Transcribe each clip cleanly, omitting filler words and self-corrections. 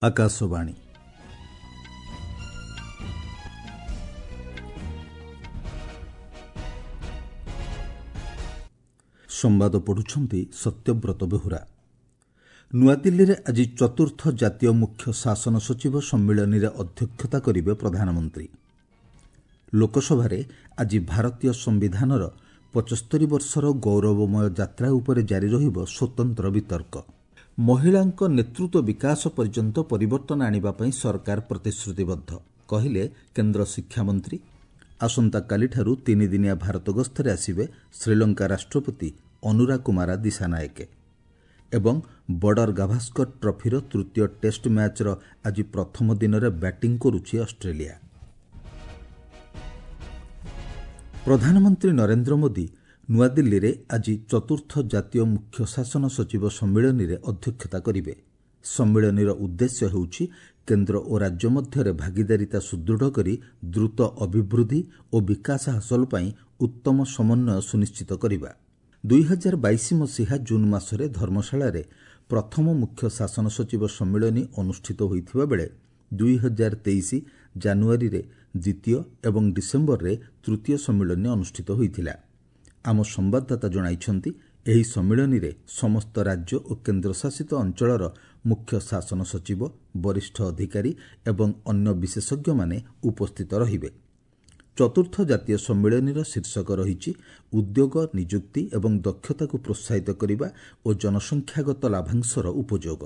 ଆକାଶବାଣୀ। ସମ୍ବାଦ ପଢ଼ୁଛନ୍ତି ସତ୍ୟବ୍ରତ ବେହୁରା। ନୂଆଦିଲ୍ଲୀରେ ଆଜି ଚତୁର୍ଥ ଜାତୀୟ ମୁଖ୍ୟ ଶାସନ ସଚିବ ସମ୍ମିଳନୀରେ ଅଧ୍ୟକ୍ଷତା କରିବେ ପ୍ରଧାନମନ୍ତ୍ରୀ। ଲୋକସଭାରେ ଆଜି ଭାରତୀୟ ସମ୍ବିଧାନର 75 ବର୍ଷର ଗୌରବମୟ ଯାତ୍ରା ଉପରେ ଜାରି ରହିବ ସ୍ୱତନ୍ତ୍ର ବିତର୍କ। ମହିଳାଙ୍କ ନେତୃତ୍ୱ ବିକାଶ ପର୍ଯ୍ୟନ୍ତ ପରିବର୍ତ୍ତନ ଆଣିବା ପାଇଁ ସରକାର ପ୍ରତିଶ୍ରୁତିବଦ୍ଧ, କହିଲେ କେନ୍ଦ୍ର ଶିକ୍ଷାମନ୍ତ୍ରୀ। ଆସନ୍ତାକାଲିଠାରୁ ତିନିଦିନିଆ ଭାରତ ଗସ୍ତରେ ଆସିବେ ଶ୍ରୀଲଙ୍କା ରାଷ୍ଟ୍ରପତି ଅନୁରା କୁମାରା ଦିଶାନାୟକେ। ଏବଂ ବର୍ଡର ଗାଭାସ୍କର ଟ୍ରଫିର ତୃତୀୟ ଟେଷ୍ଟ ମ୍ୟାଚ୍ର ଆଜି ପ୍ରଥମ ଦିନରେ ବ୍ୟାଟିଂ କରୁଛି ଅଷ୍ଟ୍ରେଲିଆ। ପ୍ରଧାନମନ୍ତ୍ରୀ ନରେନ୍ଦ୍ର ମୋଦି ନୂଆଦିଲ୍ଲୀରେ ଆଜି ଚତୁର୍ଥ ଜାତୀୟ ମୁଖ୍ୟ ଶାସନ ସଚିବ ସମ୍ମିଳନୀରେ ଅଧ୍ୟକ୍ଷତା କରିବେ। ସମ୍ମିଳନୀର ଉଦ୍ଦେଶ୍ୟ ହେଉଛି କେନ୍ଦ୍ର ଓ ରାଜ୍ୟ ମଧ୍ୟରେ ଭାଗିଦାରିତା ସୁଦୃଢ଼ କରି ଦ୍ରୁତ ଅଭିବୃଦ୍ଧି ଓ ବିକାଶ ହାସଲ ପାଇଁ ଉତ୍ତମ ସମନ୍ୱୟ ସୁନିଶ୍ଚିତ କରିବା। 2022 ମସିହା ଜୁନ୍ ମାସରେ ଧର୍ମଶାଳାରେ ପ୍ରଥମ ମୁଖ୍ୟ ଶାସନ ସଚିବ ସମ୍ମିଳନୀ ଅନୁଷ୍ଠିତ ହୋଇଥିବା ବେଳେ 2023 ଜାନୁଆରୀରେ ଦ୍ୱିତୀୟ ଏବଂ ଡିସେମ୍ବରରେ ତୃତୀୟ ସମ୍ମିଳନୀ ଅନୁଷ୍ଠିତ ହୋଇଥିଲା। ଆମ ସମ୍ବାଦଦାତା ଜଣାଇଛନ୍ତି, ଏହି ସମ୍ମିଳନୀରେ ସମସ୍ତ ରାଜ୍ୟ ଓ କେନ୍ଦ୍ରଶାସିତ ଅଞ୍ଚଳର ମୁଖ୍ୟ ଶାସନ ସଚିବ, ବରିଷ୍ଠ ଅଧିକାରୀ ଏବଂ ଅନ୍ୟ ବିଶେଷଜ୍ଞମାନେ ଉପସ୍ଥିତ ରହିବେ। ଚତୁର୍ଥ ଜାତୀୟ ସମ୍ମିଳନୀର ଶୀର୍ଷକ ରହିଛି ଉଦ୍ୟୋଗ, ନିଯୁକ୍ତି ଏବଂ ଦକ୍ଷତାକୁ ପ୍ରୋତ୍ସାହିତ କରିବା ଓ ଜନସଂଖ୍ୟାଗତ ଲାଭାଂଶର ଉପଯୋଗ।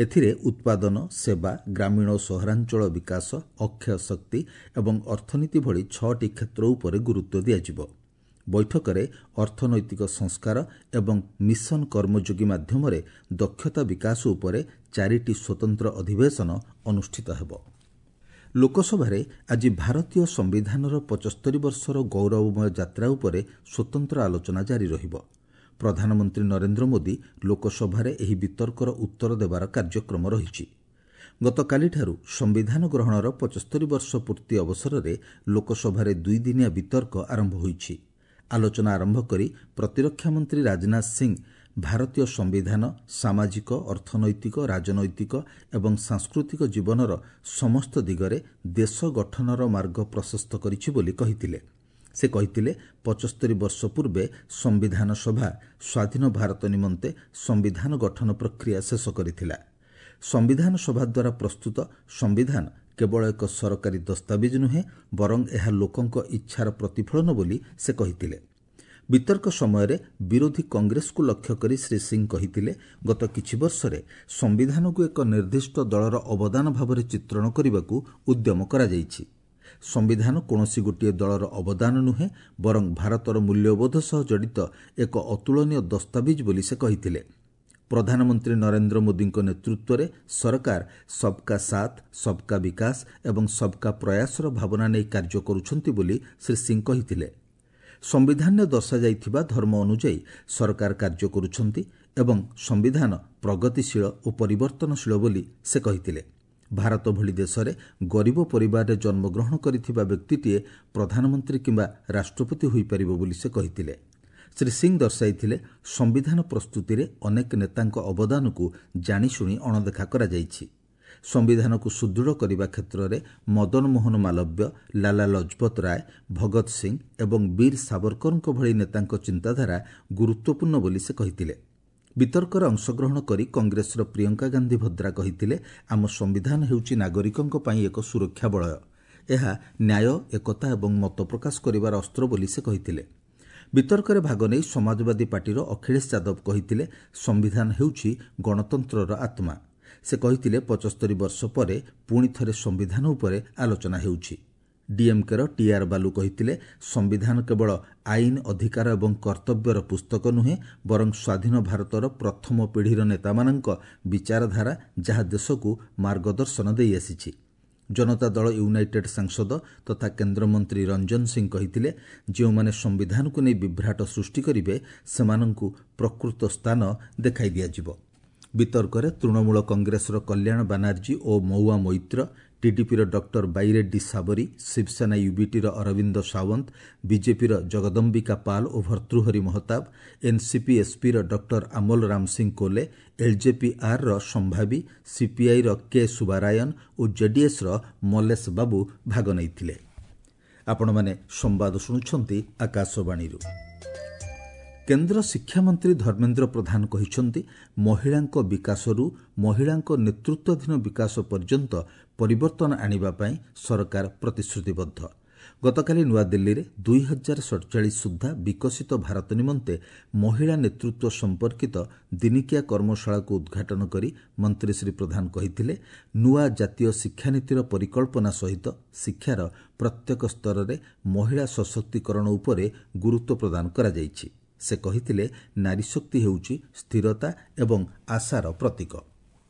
ଏଥିରେ ଉତ୍ପାଦନ, ସେବା, ଗ୍ରାମୀଣ ଓ ସହରାଞ୍ଚଳ ବିକାଶ, ଅକ୍ଷୟ ଶକ୍ତି ଏବଂ ଅର୍ଥନୀତି ଭଳି 6ଟି କ୍ଷେତ୍ର ଉପରେ ଗୁରୁତ୍ୱ ଦିଆଯିବ। ବୈଠକରେ ଅର୍ଥନୈତିକ ସଂସ୍କାର ଏବଂ ମିଶନ କର୍ମଯୋଗୀ ମାଧ୍ୟମରେ ଦକ୍ଷତା ବିକାଶ ଉପରେ 4ଟି ସ୍ୱତନ୍ତ୍ର ଅଧିବେଶନ ଅନୁଷ୍ଠିତ ହେବ। ଲୋକସଭାରେ ଆଜି ଭାରତୀୟ ସମ୍ବିଧାନର 75 ବର୍ଷର ଗୌରବମୟ ଯାତ୍ରା ଉପରେ ସ୍ୱତନ୍ତ୍ର ଆଲୋଚନା ଜାରି ରହିବ। ପ୍ରଧାନମନ୍ତ୍ରୀ ନରେନ୍ଦ୍ର ମୋଦି ଲୋକସଭାରେ ଏହି ବିତର୍କର ଉତ୍ତର ଦେବାର କାର୍ଯ୍ୟକ୍ରମ ରହିଛି। ଗତକାଲିଠାରୁ ସମ୍ବିଧାନ ଗ୍ରହଣର 75 ବର୍ଷ ପୂର୍ତ୍ତି ଅବସରରେ ଲୋକସଭାରେ ଦୁଇଦିନିଆ ବିତର୍କ ଆରମ୍ଭ ହୋଇଛି। ଆଲୋଚନା ଆରମ୍ଭ କରି ପ୍ରତିରକ୍ଷା ମନ୍ତ୍ରୀ ରାଜନାଥ ସିଂ ଭାରତୀୟ ସମ୍ବିଧାନ ସାମାଜିକ, ଅର୍ଥନୈତିକ, ରାଜନୈତିକ ଏବଂ ସାଂସ୍କୃତିକ ଜୀବନର ସମସ୍ତ ଦିଗରେ ଦେଶ ଗଠନର ମାର୍ଗ ପ୍ରଶସ୍ତ କରିଛି ବୋଲି କହିଥିଲେ। ସେ କହିଥିଲେ, 75 ବର୍ଷ ପୂର୍ବେ ସମ୍ବିଧାନ ସଭା ସ୍ୱାଧୀନ ଭାରତ ନିମନ୍ତେ ସମ୍ବିଧାନ ଗଠନ ପ୍ରକ୍ରିୟା ଶେଷ କରିଥିଲା। ସମ୍ବିଧାନ ସଭା ଦ୍ୱାରା ପ୍ରସ୍ତୁତ ସମ୍ବିଧାନ କେବଳ ଏକ ସରକାରୀ ଦସ୍ତାବିଜ ନୁହେଁ, ବରଂ ଏହା ଲୋକଙ୍କ ଇଚ୍ଛାର ପ୍ରତିଫଳନ ବୋଲି ସେ କହିଥିଲେ। ବିତର୍କ ସମୟରେ ବିରୋଧୀ କଂଗ୍ରେସକୁ ଲକ୍ଷ୍ୟ କରି ଶ୍ରୀ ସିଂ କହିଥିଲେ, ଗତ କିଛି ବର୍ଷରେ ସମ୍ବିଧାନକୁ ଏକ ନିର୍ଦ୍ଦିଷ୍ଟ ଦଳର ଅବଦାନ ଭାବରେ ଚିତ୍ରଣ କରିବାକୁ ଉଦ୍ୟମ କରାଯାଇଛି। ସମ୍ବିଧାନ କୌଣସି ଗୋଟିଏ ଦଳର ଅବଦାନ ନୁହେଁ, ବରଂ ଭାରତର ମୂଲ୍ୟବୋଧ ସହ ଜଡ଼ିତ ଏକ ଅତୁଳନୀୟ ଦସ୍ତାବିଜ ବୋଲି ସେ କହିଥିଲେ। ପ୍ରଧାନମନ୍ତ୍ରୀ ନରେନ୍ଦ୍ର ମୋଦିଙ୍କ ନେତୃତ୍ୱରେ ସରକାର ସବକା ସାଥ, ସବକା ବିକାଶ ଏବଂ ସବକା ପ୍ରୟାସର ଭାବନା ନେଇ କାର୍ଯ୍ୟ କରୁଛନ୍ତି ବୋଲି ଶ୍ରୀ ସିଂ କହିଥିଲେ। ସମ୍ବିଧାନରେ ଦର୍ଶାଯାଇଥିବା ଧର୍ମ ଅନୁଯାୟୀ ସରକାର କାର୍ଯ୍ୟ କରୁଛନ୍ତି ଏବଂ ସମ୍ବିଧାନ ପ୍ରଗତିଶୀଳ ଓ ପରିବର୍ତ୍ତନଶୀଳ ବୋଲି ସେ କହିଥିଲେ। ଭାରତ ଭଳି ଦେଶରେ ଗରିବ ପରିବାରରେ ଜନ୍ମଗ୍ରହଣ କରିଥିବା ବ୍ୟକ୍ତିଟିଏ ପ୍ରଧାନମନ୍ତ୍ରୀ କିମ୍ବା ରାଷ୍ଟ୍ରପତି ହୋଇପାରିବ ବୋଲି ସେ କହିଥିଲେ। ଶ୍ରୀ ସିଂ ଦର୍ଶାଇଥିଲେ, ସମ୍ବିଧାନ ପ୍ରସ୍ତୁତିରେ ଅନେକ ନେତାଙ୍କ ଅବଦାନକୁ ଜାଣିଶୁଣି ଅଣଦେଖା କରାଯାଇଛି। ସମ୍ବିଧାନକୁ ସୁଦୃଢ଼ କରିବା କ୍ଷେତ୍ରରେ ମଦନ ମୋହନ ମାଲବ୍ୟ, ଲାଲା ଲଜପତ ରାୟ, ଭଗତ ସିଂ ଏବଂ ବୀର ସାବରକରଙ୍କ ଭଳି ନେତାଙ୍କ ଚିନ୍ତାଧାରା ଗୁରୁତ୍ୱପୂର୍ଣ୍ଣ ବୋଲି ସେ କହିଥିଲେ। ବିତର୍କରେ ଅଂଶଗ୍ରହଣ କରି କଂଗ୍ରେସର ପ୍ରିୟଙ୍କା ଗାନ୍ଧୀ ଭଦ୍ରା କହିଥିଲେ, ଆମ ସମ୍ବିଧାନ ହେଉଛି ନାଗରିକଙ୍କ ପାଇଁ ଏକ ସୁରକ୍ଷା ବଳୟ। ଏହା ନ୍ୟାୟ, ଏକତା ଏବଂ ମତ ପ୍ରକାଶ କରିବାର ଅସ୍ତ୍ର ବୋଲି ସେ କହିଥିଲେ। ବିତର୍କରେ ଭାଗ ନେଇ ସମାଜବାଦୀ ପାର୍ଟିର ଅଖିଳେଶ ଯାଦବ କହିଥିଲେ, ସମ୍ବିଧାନ ହେଉଛି ଗଣତନ୍ତ୍ରର ଆତ୍ମା। ସେ କହିଥିଲେ, 75 ବର୍ଷ ପରେ ପୁଣି ଥରେ ସମ୍ବିଧାନ ଉପରେ ଆଲୋଚନା ହେଉଛି। ଡିଏମ୍କେର ଟିଆର୍ ବାଲୁ କହିଥିଲେ, ସମ୍ବିଧାନ କେବଳ ଆଇନ, ଅଧିକାର ଏବଂ କର୍ତ୍ତବ୍ୟର ପୁସ୍ତକ ନୁହେଁ, ବରଂ ସ୍ୱାଧୀନ ଭାରତର ପ୍ରଥମ ପିଢ଼ିର ନେତାମାନଙ୍କ ବିଚାରଧାରା, ଯାହା ଦେଶକୁ ମାର୍ଗଦର୍ଶନ ଦେଇଆସିଛି। ଜନତା ଦଳ ୟୁନାଇଟେଡ୍ ସାଂସଦ ତଥା କେନ୍ଦ୍ରମନ୍ତ୍ରୀ ରଞ୍ଜନ ସିଂ କହିଥିଲେ, ଯେଉଁମାନେ ସମ୍ବିଧାନକୁ ନେଇ ବିଭ୍ରାଟ ସୃଷ୍ଟି କରିବେ ସେମାନଙ୍କୁ ପ୍ରକୃତ ସ୍ଥାନ ଦେଖାଇ ଦିଆଯିବ। ବିତର୍କରେ ତୃଣମୂଳ କଂଗ୍ରେସର କଲ୍ୟାଣ ବାନାର୍ଜୀ ଓ ମହୁଆ ମୈତ୍ର, ଟିଡିପିର ଡକ୍ଟର ବାଇରେଡ୍ଡି ସାବରୀ, ଶିବସେନା ୟୁବିଟିର ଅରବିନ୍ଦ ସାୱନ୍ତ, ବିଜେପିର ଜଗଦମ୍ବିକା ପାଲ ଓ ଭର୍ତ୍ତୃହରି ମହତାବ, ଏନ୍ସିପି ଏସ୍ପିର ଡକ୍ଟର ଆମୋଲ ରାମସିଂ କୋଲେ, ଏଲ୍ଜେପି-ଆର୍ର ସମ୍ଭାବୀ, ସିପିଆଇର କେ ସୁବାରାୟନ ଓ ଜେଡିଏସ୍ର ମଲେଶ ବାବୁ ଭାଗ ନେଇଥିଲେ। ଆପଣମାନେ ସମ୍ବାଦ ଶୁଣୁଛନ୍ତି ଆକାଶବାଣୀରୁ। କେନ୍ଦ୍ର ଶିକ୍ଷାମନ୍ତ୍ରୀ ଧର୍ମେନ୍ଦ୍ର ପ୍ରଧାନ କହିଛନ୍ତି, ମହିଳାଙ୍କ ବିକାଶରୁ ମହିଳାଙ୍କ ନେତୃତ୍ୱାଧୀନ ବିକାଶ ପର୍ଯ୍ୟନ୍ତ ପରିବର୍ତ୍ତନ ଆଣିବା ପାଇଁ ସରକାର ପ୍ରତିଶ୍ରୁତିବଦ୍ଧ। ଗତକାଲି ନୂଆଦିଲ୍ଲୀରେ 2047 ସୁଦ୍ଧା ବିକଶିତ ଭାରତ ନିମନ୍ତେ ମହିଳା ନେତୃତ୍ୱ ସମ୍ପର୍କିତ ଦିନିକିଆ କର୍ମଶାଳାକୁ ଉଦ୍ଘାଟନ କରି ମନ୍ତ୍ରୀ ଶ୍ରୀ ପ୍ରଧାନ କହିଥିଲେ, ନୂଆ ଜାତୀୟ ଶିକ୍ଷାନୀତିର ପରିକଳ୍ପନା ସହିତ ଶିକ୍ଷାର ପ୍ରତ୍ୟେକ ସ୍ତରରେ ମହିଳା ସଶକ୍ତିକରଣ ଉପରେ ଗୁରୁତ୍ୱ ପ୍ରଦାନ କରାଯାଇଛି। ସେ କହିଥିଲେ, ନାରୀଶକ୍ତି ହେଉଛି ସ୍ଥିରତା ଏବଂ ଆଶାର ପ୍ରତୀକ।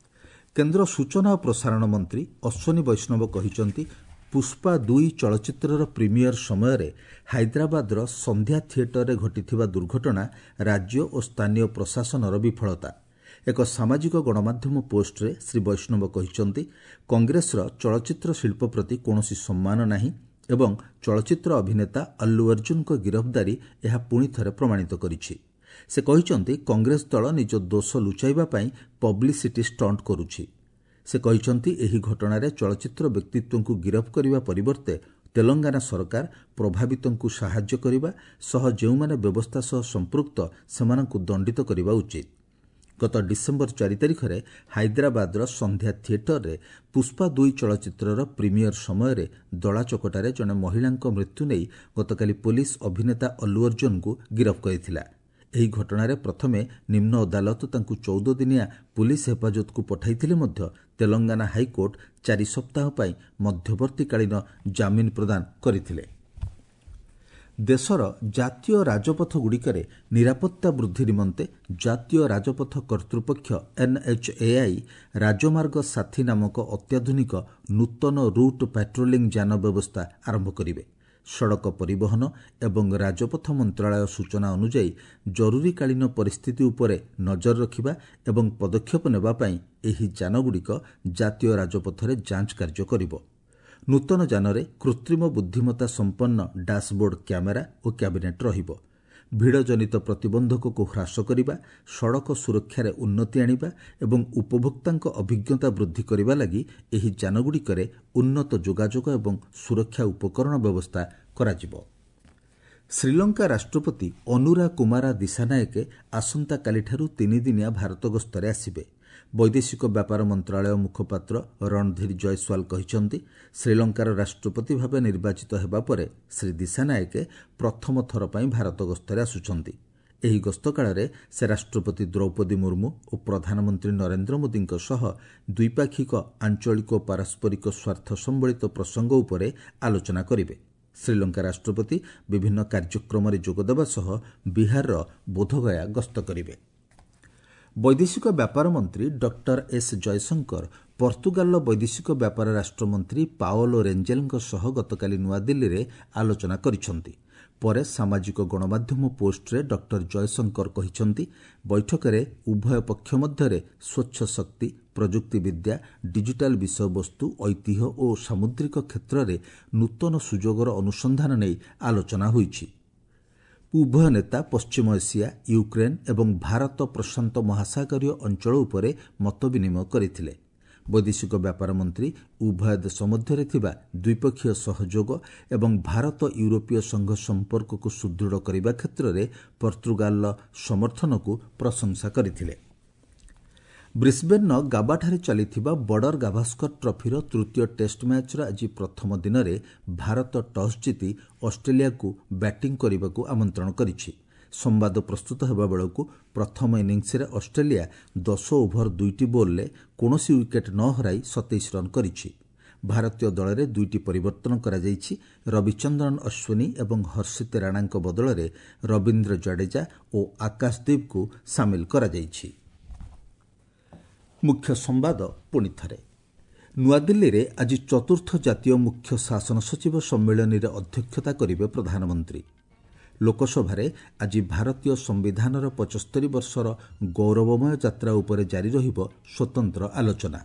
କେନ୍ଦ୍ର ସୂଚନା ଓ ପ୍ରସାରଣ ମନ୍ତ୍ରୀ ଅଶ୍ୱିନୀ ବୈଷ୍ଣବ କହିଛନ୍ତି, ପୁଷ୍ପା 2 ଚଳଚ୍ଚିତ୍ରର ପ୍ରିମିୟର ସମୟରେ ହାଇଦ୍ରାବାଦର ସନ୍ଧ୍ୟା ଥିଏଟରରେ ଘଟିଥିବା ଦୁର୍ଘଟଣା ରାଜ୍ୟ ଓ ସ୍ଥାନୀୟ ପ୍ରଶାସନର ବିଫଳତା। ଏକ ସାମାଜିକ ଗଣମାଧ୍ୟମ ପୋଷ୍ଟରେ ଶ୍ରୀ ବୈଷ୍ଣବ କହିଛନ୍ତି, କଂଗ୍ରେସର ଚଳଚ୍ଚିତ୍ର ଶିଳ୍ପ ପ୍ରତି କୌଣସି ସମ୍ମାନ ନାହିଁ ଏବଂ ଚଳଚ୍ଚିତ୍ର ଅଭିନେତା ଅଲ୍ଲୁ ଅର୍ଜୁନଙ୍କ ଗିରଫଦାରୀ ଏହା ପୁଣି ଥରେ ପ୍ରମାଣିତ କରିଛି। ସେ କହିଛନ୍ତି, କଂଗ୍ରେସ ଦଳ ନିଜ ଦୋଷ ଲୁଚାଇବା ପାଇଁ ପବ୍ଲିସିଟି ଷ୍ଟଣ୍ଟ କରୁଛି। ସେ କହିଛନ୍ତି, ଏହି ଘଟଣାରେ ଚଳଚ୍ଚିତ୍ର ବ୍ୟକ୍ତିତ୍ୱଙ୍କୁ ଗିରଫ କରିବା ପରିବର୍ତ୍ତେ ତେଲଙ୍ଗାନା ସରକାର ପ୍ରଭାବିତଙ୍କୁ ସାହାଯ୍ୟ କରିବା ସହ ଯେଉଁମାନେ ବ୍ୟବସ୍ଥା ସହ ସମ୍ପୃକ୍ତ ସେମାନଙ୍କୁ ଦଣ୍ଡିତ କରିବା ଉଚିତ। ଗତ ଡିସେମ୍ବର 4 ତାରିଖରେ ହାଇଦ୍ରାବାଦର ସନ୍ଧ୍ୟା ଥିଏଟରରେ ପୁଷ୍ପା 2 ଚଳଚ୍ଚିତ୍ରର ପ୍ରିମିୟର ସମୟରେ ଦଳାଚକଟାରେ ଜଣେ ମହିଳାଙ୍କ ମୃତ୍ୟୁ ନେଇ ଗତକାଲି ପୋଲିସ ଅଭିନେତା ଅଲ୍ଲୁ ଅର୍ଜୁନଙ୍କୁ ଗିରଫ କରିଥିଲା। ଏହି ଘଟଣାରେ ପ୍ରଥମେ ନିମ୍ନ ଅଦାଲତ ତାଙ୍କୁ 14 ଦିନିଆ ପୁଲିସ ହେଫାଜତକୁ ପଠାଇଥିଲେ ମଧ୍ୟ ତେଲଙ୍ଗାନା ହାଇକୋର୍ଟ 4 ସପ୍ତାହ ପାଇଁ ମଧ୍ୟବର୍ତ୍ତୀକାଳୀନ ଜାମିନ ପ୍ରଦାନ କରିଥିଲେ। ଦେଶର ଜାତୀୟ ରାଜପଥଗୁଡ଼ିକରେ ନିରାପତ୍ତା ବୃଦ୍ଧି ନିମନ୍ତେ ଜାତୀୟ ରାଜପଥ କର୍ତ୍ତୃପକ୍ଷ ଏନ୍ଏଚ୍ଏଆଇ ରାଜମାର୍ଗ ସାଥୀ ନାମକ ଅତ୍ୟାଧୁନିକ ନୂତନ ରୁଟ୍ ପାଟ୍ରୋଲିଂ ଯାନ ବ୍ୟବସ୍ଥା ଆରମ୍ଭ କରିବେ। ସଡ଼କ ପରିବହନ ଏବଂ ରାଜପଥ ମନ୍ତ୍ରଣାଳୟ ସୂଚନା ଅନୁଯାୟୀ, ଜରୁରୀକାଳୀନ ପରିସ୍ଥିତି ଉପରେ ନଜର ରଖିବା ଏବଂ ପଦକ୍ଷେପ ନେବା ପାଇଁ ଏହି ଯାନଗୁଡ଼ିକ ଜାତୀୟ ରାଜପଥରେ ଯାଞ୍ଚ କାର୍ଯ୍ୟ କରିବ। ନୂତନ ଯାନରେ କୃତ୍ରିମ ବୁଦ୍ଧିମତ୍ତା ସମ୍ପନ୍ନ ଡାସବୋର୍ଡ କ୍ୟାମେରା ଓ କ୍ୟାବିନେଟ୍ ରହିବ। ଭିଡ଼ଜନିତ ପ୍ରତିବନ୍ଧକକୁ ହ୍ରାସ କରିବା, ସଡ଼କ ସୁରକ୍ଷାରେ ଉନ୍ନତି ଆଣିବା ଏବଂ ଉପଭୋକ୍ତାଙ୍କ ଅଭିଜ୍ଞତା ବୃଦ୍ଧି କରିବା ଲାଗି ଏହି ଯାନଗୁଡ଼ିକରେ ଉନ୍ନତ ଯୋଗାଯୋଗ ଏବଂ ସୁରକ୍ଷା ଉପକରଣ ବ୍ୟବସ୍ଥା କରାଯିବ। ଶ୍ରୀଲଙ୍କା ରାଷ୍ଟ୍ରପତି ଅନୁରା କୁମାରା ଦିଶାନାୟକେ ଆସନ୍ତାକାଲିଠାରୁ 3 ଦିନିଆ ଭାରତ ଗସ୍ତରେ ଆସିବେ। ବୈଦେଶିକ ବ୍ୟାପାର ମନ୍ତ୍ରଣାଳୟ ମୁଖପାତ୍ର ରଣଧୀର ଜୟସ୍ୱାଲ କହିଛନ୍ତି, ଶ୍ରୀଲଙ୍କାର ରାଷ୍ଟ୍ରପତି ଭାବେ ନିର୍ବାଚିତ ହେବା ପରେ ଶ୍ରୀ ଦିଶାନାୟକେ ପ୍ରଥମ ଥର ପାଇଁ ଭାରତ ଗସ୍ତରେ ଆସୁଛନ୍ତି। ଏହି ଗସ୍ତ କାଳରେ ସେ ରାଷ୍ଟ୍ରପତି ଦ୍ରୌପଦୀ ମୁର୍ମୁ ଓ ପ୍ରଧାନମନ୍ତ୍ରୀ ନରେନ୍ଦ୍ର ମୋଦିଙ୍କ ସହ ଦ୍ୱିପାକ୍ଷିକ, ଆଞ୍ଚଳିକ ଓ ପାରସ୍ପରିକ ସ୍ୱାର୍ଥ ସମ୍ବଳିତ ପ୍ରସଙ୍ଗ ଉପରେ ଆଲୋଚନା କରିବେ। ଶ୍ରୀଲଙ୍କା ରାଷ୍ଟ୍ରପତି ବିଭିନ୍ନ କାର୍ଯ୍ୟକ୍ରମରେ ଯୋଗଦେବା ସହ ବିହାରର ବୋଧଗୟା ଗସ୍ତ କରିବେ। ବୈଦେଶିକ ବ୍ୟାପାର ମନ୍ତ୍ରୀ ଡକ୍ଟର ଏସ୍ ଜୟଶଙ୍କର ପର୍ତ୍ତୁଗାଲର ବୈଦେଶିକ ବ୍ୟାପାର ରାଷ୍ଟ୍ରମନ୍ତ୍ରୀ ପାଓଲୋ ରେଞ୍ଜେଲଙ୍କ ସହ ଗତକାଲି ନୂଆଦିଲ୍ଲୀରେ ଆଲୋଚନା କରିଛନ୍ତି। ପରେ ସାମାଜିକ ଗଣମାଧ୍ୟମ ପୋଷ୍ଟରେ ଡକ୍ଟର ଜୟଶଙ୍କର କହିଛନ୍ତି, ବୈଠକରେ ଉଭୟ ପକ୍ଷ ମଧ୍ୟରେ ସ୍ୱଚ୍ଛ ଶକ୍ତି, ପ୍ରଯୁକ୍ତିବିଦ୍ୟା, ଡିଜିଟାଲ ବିଷୟବସ୍ତୁ, ଐତିହ୍ୟ ଓ ସାମୁଦ୍ରିକ କ୍ଷେତ୍ରରେ ନୂତନ ସୁଯୋଗର ଅନୁସନ୍ଧାନ ନେଇ ଆଲୋଚନା ହୋଇଛି। ଉଭୟ ନେତା ପଶ୍ଚିମ ଏସିଆ, ୟୁକ୍ରେନ୍ ଏବଂ ଭାରତ ପ୍ରଶାନ୍ତ ମହାସାଗରୀୟ ଅଞ୍ଚଳ ଉପରେ ମତ ବିନିମୟ କରିଥିଲେ। ବୈଦେଶିକ ବ୍ୟାପାର ମନ୍ତ୍ରୀ ଉଭୟ ଦେଶ ମଧ୍ୟରେ ଥିବା ଦ୍ୱିପକ୍ଷୀୟ ସହଯୋଗ ଏବଂ ଭାରତ ୟୁରୋପୀୟ ସଂଘ ସମ୍ପର୍କକୁ ସୁଦୃଢ଼ କରିବା କ୍ଷେତ୍ରରେ ପର୍ତ୍ତୁଗାଲର ସମର୍ଥନକୁ ପ୍ରଶଂସା କରିଥିଲେ। ବ୍ରିସ୍ବେନ୍ର ଗାବାଠାରେ ଚାଲିଥିବା ବର୍ଡର ଗାଭାସ୍କର ଟ୍ରଫିର ତୃତୀୟ ଟେଷ୍ଟ ମ୍ୟାଚ୍ର ଆଜି ପ୍ରଥମ ଦିନରେ ଭାରତ ଟସ୍ ଜିତି ଅଷ୍ଟ୍ରେଲିଆକୁ ବ୍ୟାଟିଂ କରିବାକୁ ଆମନ୍ତ୍ରଣ କରିଛି। ସମ୍ବାଦ ପ୍ରସ୍ତୁତ ହେବା ବେଳକୁ ପ୍ରଥମ ଇନିଂସରେ ଅଷ୍ଟ୍ରେଲିଆ 10 ଓଭର 2ଟି ବଲ୍ରେ କୌଣସି ୱିକେଟ୍ ନ ହରାଇ 27 ରନ୍ କରିଛି। ଭାରତୀୟ ଦଳରେ 2ଟି ପରିବର୍ତ୍ତନ କରାଯାଇଛି। ରବିଚନ୍ଦ୍ରନ ଅଶ୍ୱିନୀ ଏବଂ ହର୍ଷିତ ରାଣାଙ୍କ ବଦଳରେ ରବୀନ୍ଦ୍ର ଜାଡେଜା ଓ ଆକାଶଦୀପଙ୍କୁ ସାମିଲ କରାଯାଇଛି। ମୁଖ୍ୟ ସମ୍ବାଦ ପୁଣି ଥରେ। ନୂଆଦିଲ୍ଲୀରେ ଆଜି ଚତୁର୍ଥ ଜାତୀୟ ମୁଖ୍ୟ ଶାସନ ସଚିବ ସମ୍ମିଳନୀରେ ଅଧ୍ୟକ୍ଷତା କରିବେ ପ୍ରଧାନମନ୍ତ୍ରୀ। ଲୋକସଭାରେ ଆଜି ଭାରତୀୟ ସମ୍ବିଧାନର 75 ବର୍ଷର ଗୌରବମୟ ଯାତ୍ରା ଉପରେ ଜାରି ରହିବ ସ୍ୱତନ୍ତ୍ର ଆଲୋଚନା।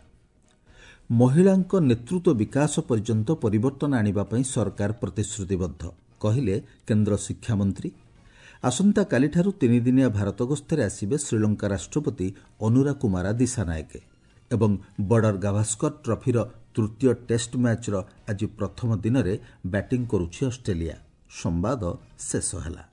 ମହିଳାଙ୍କ ନେତୃତ୍ୱ ବିକାଶ ପର୍ଯ୍ୟନ୍ତ ପରିବର୍ତ୍ତନ ଆଣିବା ପାଇଁ ସରକାର ପ୍ରତିଶ୍ରୁତିବଦ୍ଧ, କହିଲେ କେନ୍ଦ୍ର ଶିକ୍ଷାମନ୍ତ୍ରୀ। ଆସନ୍ତାକାଲିଠାରୁ ତିନିଦିନିଆ ଭାରତ ଗସ୍ତରେ ଆସିବେ ଶ୍ରୀଲଙ୍କା ରାଷ୍ଟ୍ରପତି ଅନୁରା କୁମାରା ଦିଶାନାୟକେ। ଏବଂ ବର୍ଡର ଗାଭାସ୍କର ଟ୍ରଫିର ତୃତୀୟ ଟେଷ୍ଟ ମ୍ୟାଚ୍ର ଆଜି ପ୍ରଥମ ଦିନରେ ବ୍ୟାଟିଂ କରୁଛି ଅଷ୍ଟ୍ରେଲିଆ। ସମ୍ବାଦ ଶେଷ ହେଲା।